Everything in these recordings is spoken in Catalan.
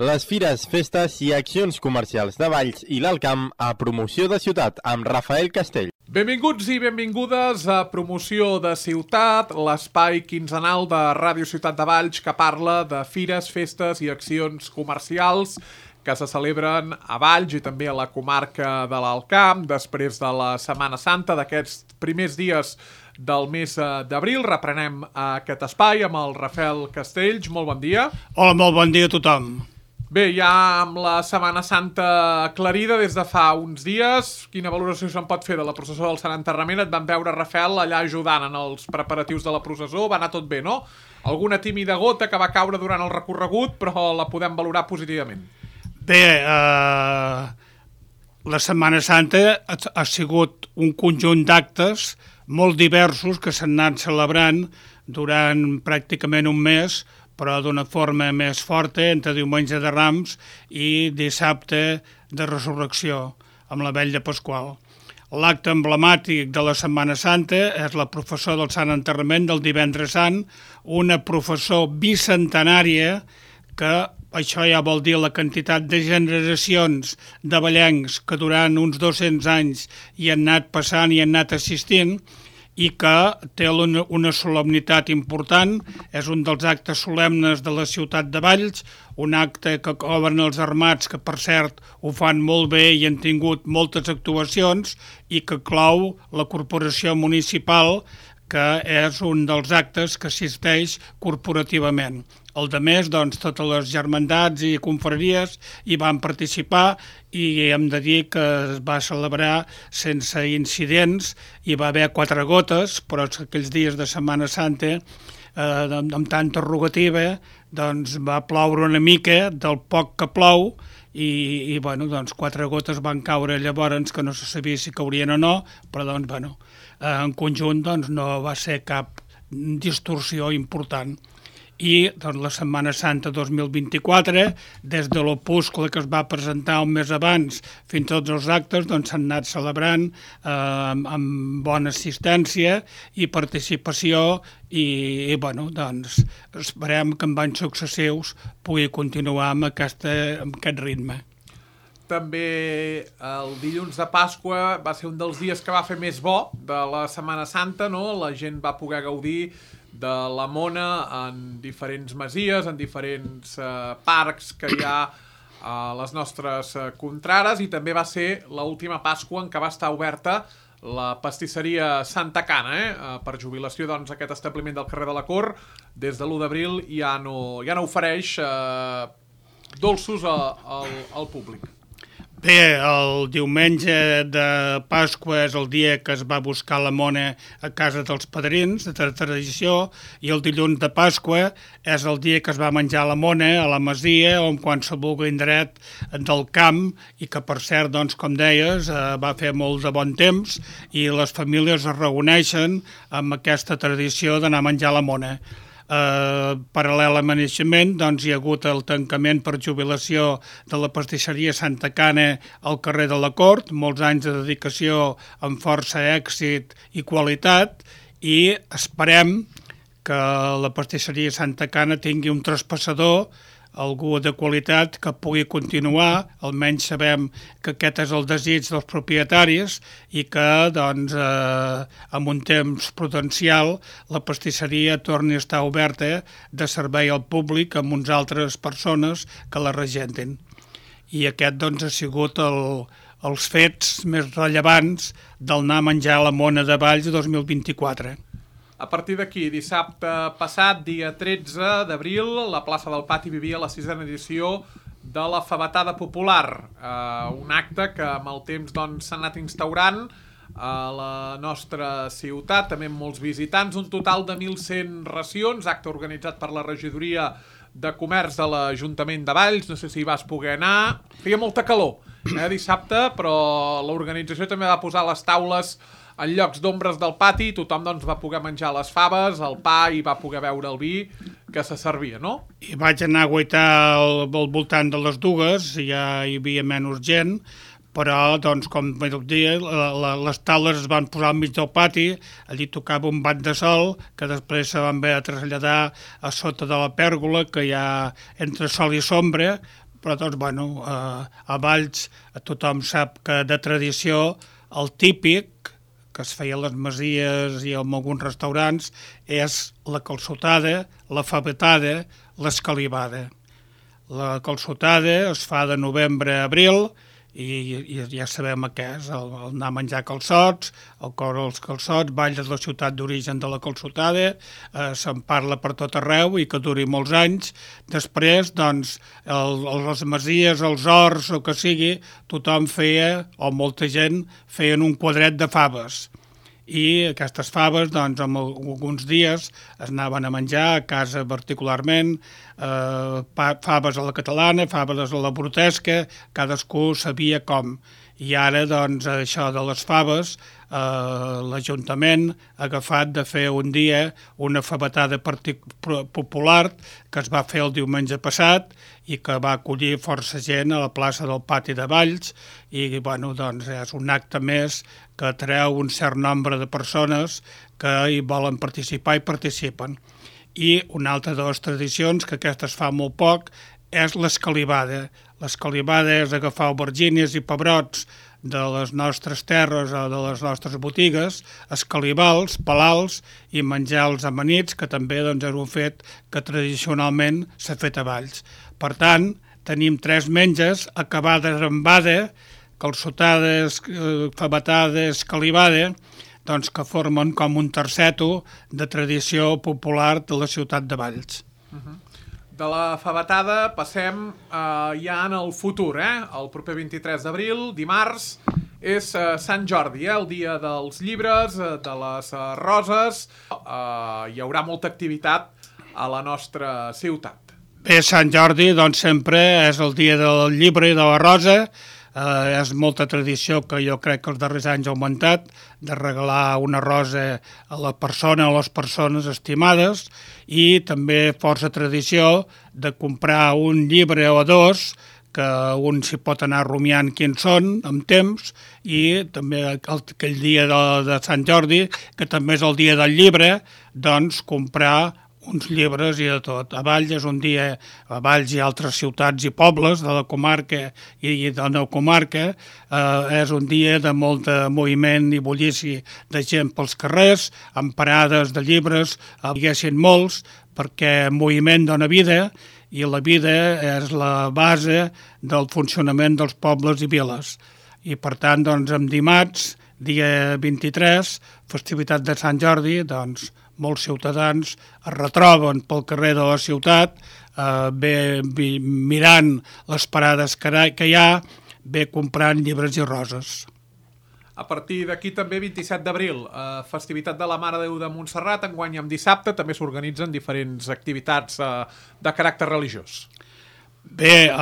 Les fires, festes i accions comercials de Valls i l'Alt Camp a Promoció de Ciutat amb Rafael Castell. Benvinguts i benvingudes a Promoció de Ciutat, l'espai quinzenal de Ràdio Ciutat de Valls que parla de fires, festes i accions comercials que se celebren a Valls i també a la comarca de l'Alt Camp després de la Setmana Santa, d'aquests primers dies del mes d'abril. Reprenem aquest espai amb el Rafael Castells. Molt bon dia. Hola, molt bon dia a tothom. Bé, ja amb la Setmana Santa aclarida des de fa uns dies, quina valoració se'n pot fer de la processó del Sant Enterrament? Et vam veure, Rafael, allà ajudant en els preparatius de la processó, va anar tot bé, no? Alguna tímida gota que va caure durant el recorregut, però la podem valorar positivament. Bé, la Setmana Santa ha sigut un conjunt d'actes molt diversos que s'han anat celebrant durant pràcticament un mes, però d'una forma més forta entre diumenge de Rams i dissabte de Resurrecció, amb la Vetlla Pasqual. L'acte emblemàtic de la Setmana Santa és la processó del Sant Enterrament del Divendres Sant, una processó bicentenària que això ja vol dir la quantitat de generacions de vallencs que durant uns 200 anys hi han anat passant i han anat assistint, i que té una solemnitat important, és un dels actes solemnes de la ciutat de Valls, un acte que cobren els armats, que per cert ho fan molt bé i han tingut moltes actuacions, i que clou la corporació municipal, que és un dels actes que assisteix corporativament. El de més, doncs, totes les germandats i confraries hi van participar i hem de dir que es va celebrar sense incidents. Hi va haver 4 gotes, però aquells dies de Setmana Santa, amb tanta rogativa, doncs va ploure una mica del poc que plou i bueno, doncs 4 gotes van caure llavors que no se sabia si caurien o no, però doncs, bueno, en conjunt doncs, no va ser cap distorsió important. I doncs, la Setmana Santa 2024, des de l'opuscle que es va presentar un mes abans fins a tots els actes, doncs s'han anat celebrant amb bona assistència i participació i bueno, doncs esperem que en anys successius pugui continuar amb aquest ritme. També el dilluns de Pasqua va ser un dels dies que va fer més bo de la Setmana Santa, no? La gent va poder gaudir de la mona en diferents masies, en diferents parcs que hi ha a les nostres contrares, i també va ser l'última Pasqua en què va estar oberta la pastisseria Santa Cana, per jubilació, doncs, aquest establiment del carrer de la Cort, des de l'1 d'abril ja no ofereix dolços al públic. Bé, el diumenge de Pasqua és el dia que es va buscar la mona a casa dels padrins, de tradició, i el dilluns de Pasqua és el dia que es va menjar la mona a la masia o en qualsevol indret del camp, i que, per cert, doncs, com deies, va fer molt de bon temps i les famílies es reuneixen amb aquesta tradició d'anar a menjar la mona. Paral·lel a naixement, doncs, hi ha hagut el tancament per jubilació de la pastisseria Santa Cana al carrer de la Cort, molts anys de dedicació amb força èxit i qualitat, i esperem que la pastisseria Santa Cana tingui un traspassador, algú de qualitat que pugui continuar. Almenys sabem que aquest és el desig dels propietaris i que, doncs, amb un temps prudencial, la pastisseria torni a estar oberta de servei al públic amb uns altres persones que la regentin. I aquest, doncs, ha sigut els fets més rellevants del anar a menjar a la Mona de Valls 2024. A partir d'aquí, dissabte passat, dia 13 d'abril, la plaça del Pati vivia la 6a edició de la Fabatada Popular, un acte que amb el temps s'ha anat instaurant a la nostra ciutat, també amb molts visitants, un total de 1.100 racions, acte organitzat per la regidoria de comerç de l'Ajuntament de Valls. No sé si hi vas poder anar, feia molta calor dissabte, però l'organització també va posar les taules en llocs d'ombres del pati, tothom va poder menjar les faves, el pa, i va poder beure el vi que se servia, no? I vaig anar a guaitar al voltant de les dues, ja hi havia menys gent, però, doncs, com vaig dir, les taules es van posar al mig del pati, allí tocava un bat de sol, que després se van haver de traslladar a sota de la pèrgola, que hi ha entre sol i sombra, però doncs, bueno, a Valls tothom sap que de tradició el típic que es feia a les masies i en alguns restaurants és la calçotada, la favetada, l'escalivada. La calçotada es fa de novembre a abril i ja sabem què és, el anar a menjar calçots, el cor als calçots, Valls és la ciutat d'origen de la calçotada, se'n parla per tot arreu i que duri molts anys. Després, doncs, les masies, els horts, o que sigui, tothom feia, o molta gent, feien un quadret de faves. I aquestes faves, doncs, en alguns dies es anaven a menjar a casa particularment, faves a la catalana, faves a la brutesca, cadascú sabia com. I ara, doncs, això de les faves, l'Ajuntament ha agafat de fer un dia una favetada popular que es va fer el diumenge passat i que va acollir força gent a la plaça del Pati de Valls i, bueno, doncs, és un acte més que atreu un cert nombre de persones que hi volen participar i participen. I una altra de les tradicions, que aquesta es fa molt poc, és l'escalivada. L'escalivada és agafar aubergines i pebrots de les nostres terres o de les nostres botigues, escalivar-los, pelar-los i menjar-los amanits, que també doncs, és un fet que tradicionalment s'ha fet a Valls. Per tant, tenim 3 menges acabades amb bada, calçotada, favetada, escalivada, doncs que formen com un terceto de tradició popular de la ciutat de Valls. De la favetada passem ja en el futur, el proper 23 d'abril, dimarts, és Sant Jordi, el dia dels llibres, de les roses. Hi haurà molta activitat a la nostra ciutat. Bé, Sant Jordi, doncs, sempre és el dia del llibre i de la rosa. És molta tradició que jo crec que els darrers anys ha augmentat de regalar una rosa a la persona o a les persones estimades i també força tradició de comprar un llibre o 2 que un s'hi pot anar rumiant quins són amb temps i també aquell dia de Sant Jordi, que també és el dia del llibre, doncs comprar uns llibres i de tot. A Valls és un dia, a Valls i altres ciutats i pobles de la comarca i de la comarca, és un dia de molt de moviment i bullici de gent pels carrers, amb parades de llibres, diguessin molts, perquè moviment dona vida i la vida és la base del funcionament dels pobles i viles. I per tant, doncs, en dimarts, dia 23, festivitat de Sant Jordi, doncs, molts ciutadans es retroben pel carrer de la ciutat, mirant les parades que hi ha, bé comprant llibres i roses. A partir d'aquí també 27 d'abril, festivitat de la Mare de Déu de Montserrat, enguany amb dissabte també s'organitzen diferents activitats de caràcter religiós. Bé,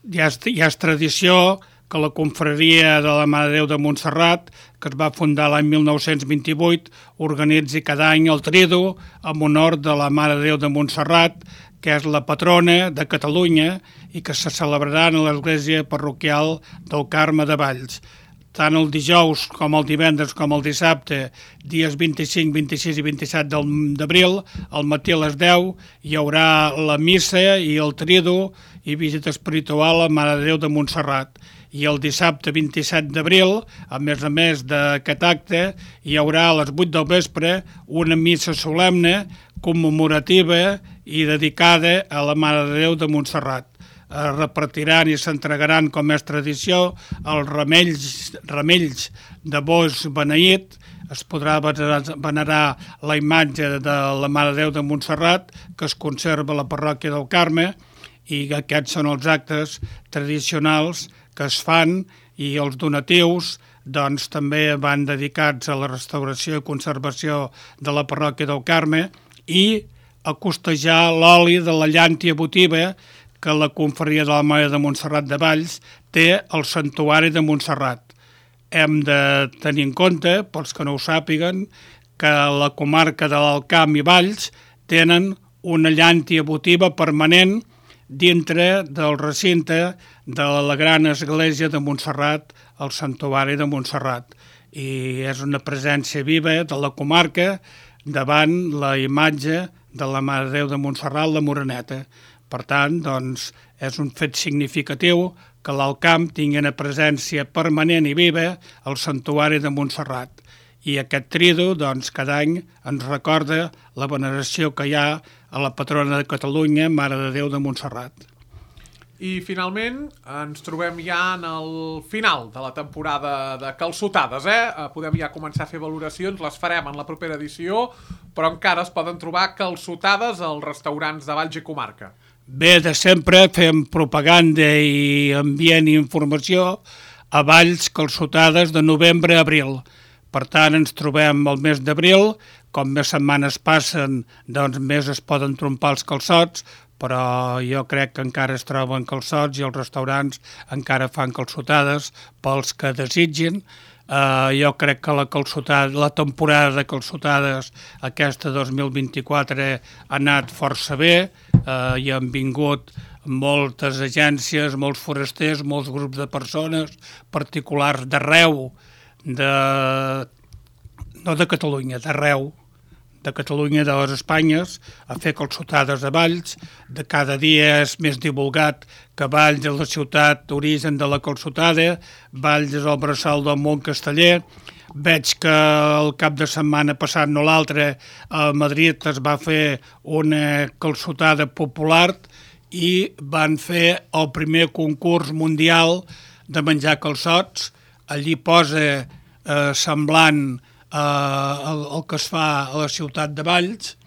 ja és tradició que la confraria de la Mare de Déu de Montserrat, que es va fundar l'any 1928, organitzi cada any el Tridu en honor de la Mare de Déu de Montserrat, que és la patrona de Catalunya i que se celebrarà a l'església parroquial del Carme de Valls. Tant el dijous com el divendres com el dissabte, dies 25, 26 i 27 d'abril, al matí a les 10, hi haurà la missa i el tridu i visita espiritual a Mare de Déu de Montserrat. I el dissabte 27 d'abril, a més d'aquest acte, hi haurà a les 8 del vespre una missa solemne, commemorativa i dedicada a la Mare de Déu de Montserrat. Repartiran i s'entregaran, com és tradició, els ramells de boix beneït. Es podrà venerar la imatge de la Mare de Déu de Montserrat, que es conserva a la parròquia del Carme, i aquests són els actes tradicionals que es fan, i els donatius doncs, també van dedicats a la restauració i conservació de la parròquia del Carme i a costejar l'oli de la llàntia votiva que la confraria de la Mare de Montserrat de Valls té al santuari de Montserrat. Hem de tenir en compte, pels que no ho sàpiguen, que la comarca de l'Alt Camp i Valls tenen una llàntia votiva permanent dintre del recinte de la gran església de Montserrat, el santuari de Montserrat. I és una presència viva de la comarca davant la imatge de la Mare de Déu de Montserrat, la Moreneta. Per tant, doncs, és un fet significatiu que l'Alt Camp tingui una presència permanent i viva al Santuari de Montserrat. I aquest tridu, doncs, cada any ens recorda la veneració que hi ha a la patrona de Catalunya, Mare de Déu de Montserrat. I finalment ens trobem ja en el final de la temporada de calçotades, Podem ja començar a fer valoracions, les farem en la propera edició, però encara es poden trobar calçotades als restaurants de Valls i Comarca. Bé, de sempre fem propaganda i ambient i informació a Valls calçotades de novembre a abril. Per tant, ens trobem el mes d'abril, com més setmanes passen, doncs més es poden trompar els calçots, però jo crec que encara es troben calçots i els restaurants encara fan calçotades pels que desitgin. Jo crec que la temporada de calçotades aquesta 2024 ha anat força bé, hi han vingut moltes agències, molts forasters, molts grups de persones, particulars d'arreu, no de Catalunya, d'arreu, de Catalunya, de les Espanyes, a fer calçotades a Valls. De cada dia és més divulgat que Valls és la ciutat d'origen de la calçotada, Valls és el bressol del món casteller. Veig que el cap de setmana passat, no l'altre, a Madrid es va fer una calçotada popular i van fer el primer concurs mundial de menjar calçots. Allí posa semblant el que es fa a la ciutat de Valls.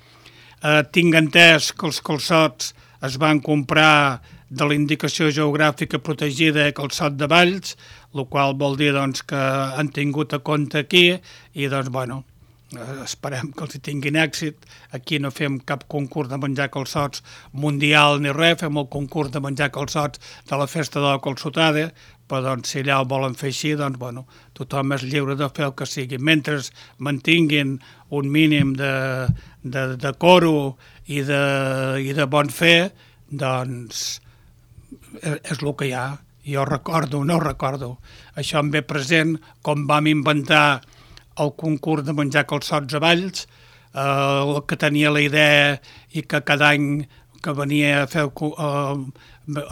Tinc entès que els calçots es van comprar de la indicació geogràfica protegida calçot de Valls, el qual vol dir doncs, que han tingut a compte aquí i doncs, bueno, esperem que els tinguin èxit. Aquí no fem cap concurs de menjar calçots mundial ni res, fem el concurs de menjar calçots de la festa de la calçotada, però doncs, si allà ho volen fer així, doncs, bueno, tothom és lliure de fer el que sigui. Mentre mantinguin un mínim de coro i de bon fer, doncs és el que hi ha. Jo no recordo. Això em ve present com vam inventar el concurs de menjar calçots a Valls, el que tenia la idea i que cada any que venia a fer a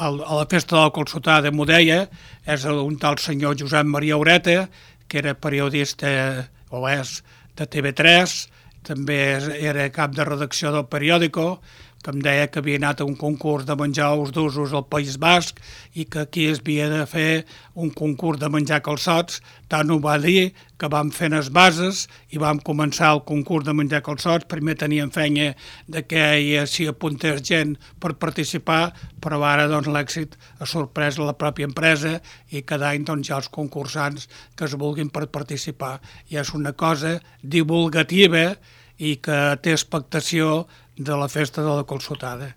la festa de la calçotada m'ho deia, és un tal senyor Josep Maria Ureta, que era periodista, o és, de TV3, també era cap de redacció del periòdico, que em deia que havia anat a un concurs de menjar ous d'usos al País Basc i que aquí es havia de fer un concurs de menjar calçots. Tant ho va dir que vam fer les bases i vam començar el concurs de menjar calçots. Primer teníem feina de que s'hi apuntés gent per participar, però ara doncs, l'èxit ha sorprès la pròpia empresa i cada any doncs, hi ha els concursants que es vulguin per participar. I és una cosa divulgativa i que té expectació de la festa de la calçotada.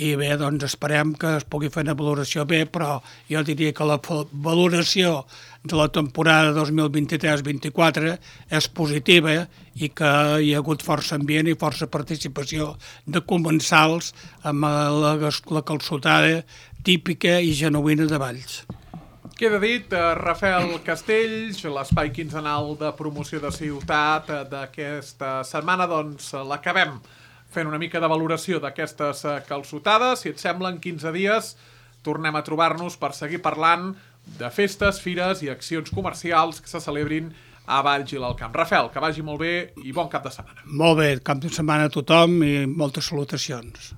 I bé, doncs esperem que es pugui fer una valoració bé, però jo diria que la valoració de la temporada 2023-24 és positiva i que hi ha hagut força ambient i força participació de comensals amb la calçotada típica i genuïna de Valls. Queda dit, Rafael Castells, l'espai quinzenal de promoció de ciutat d'aquesta setmana, doncs l'acabem fent una mica de valoració d'aquestes calçotades. Si et sembla, en 15 dies tornem a trobar-nos per seguir parlant de festes, fires i accions comercials que se celebrin a Valls i l'Alt Camp. Rafael, que vagi molt bé i bon cap de setmana. Molt bé, cap de setmana a tothom i moltes salutacions.